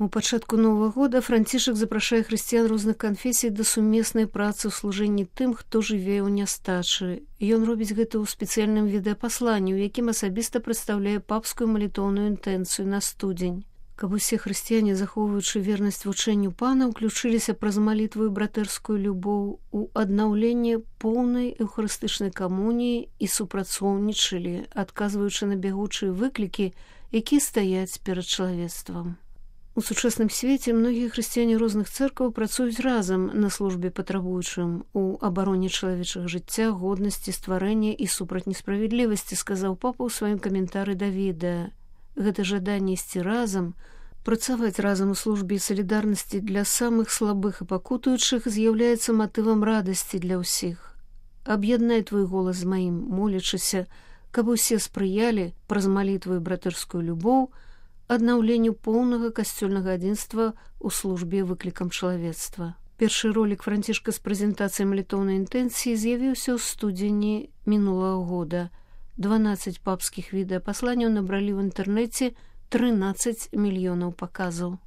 У пачатку Новага года Францішак запрашае хрысціян розных канфесій да сумеснай працы ў служэнні тым, хто жыве ў нястачы. Ён робіць гэта ў спецыяльным відэапасланні, у якім асабіста прадстаўляе папскую малітоўную інтэнцыю на студзень. Каб усе хрысціяне, захоўваючы вернасць вучэнню пана, уключыліся праз малітву і братэрскую любоў у аднаўленне поўнай эўхарыстычнай камуніі і супрацоўнічалі, адказваючы на бягучыя выклікі, якія стаяць перад чалавецтвам. У сучасным свеце многія хрысціяне розных цэркваў працуюць разам на службе патрабуючым у абароне чалавечага жыцця, годнасці, стварэння і супраць несправядлівасці, сказаў папа ў сваім каментары да відэа. Гэта жаданне ісці разам, працаваць разам у службе і салідарнасці для самых слабых і пакутуючых з'яўляецца матывам радасці для ўсіх. Аб'яднай твой голас з маім, молячыся, каб усе спрыялі праз малітву і братэрскую любоў аднаўленню поўнага касцёльнага адзінства ў службе выклікам чалавецтва. Першы ролік Францішка з прэзентацыяй малітоўнай інтэнцыі з'явіўся ў студзені мінулага года. 12 папскіх відэапасланняў набралі ў інтэрнэце 13 мільёнаў паказаў.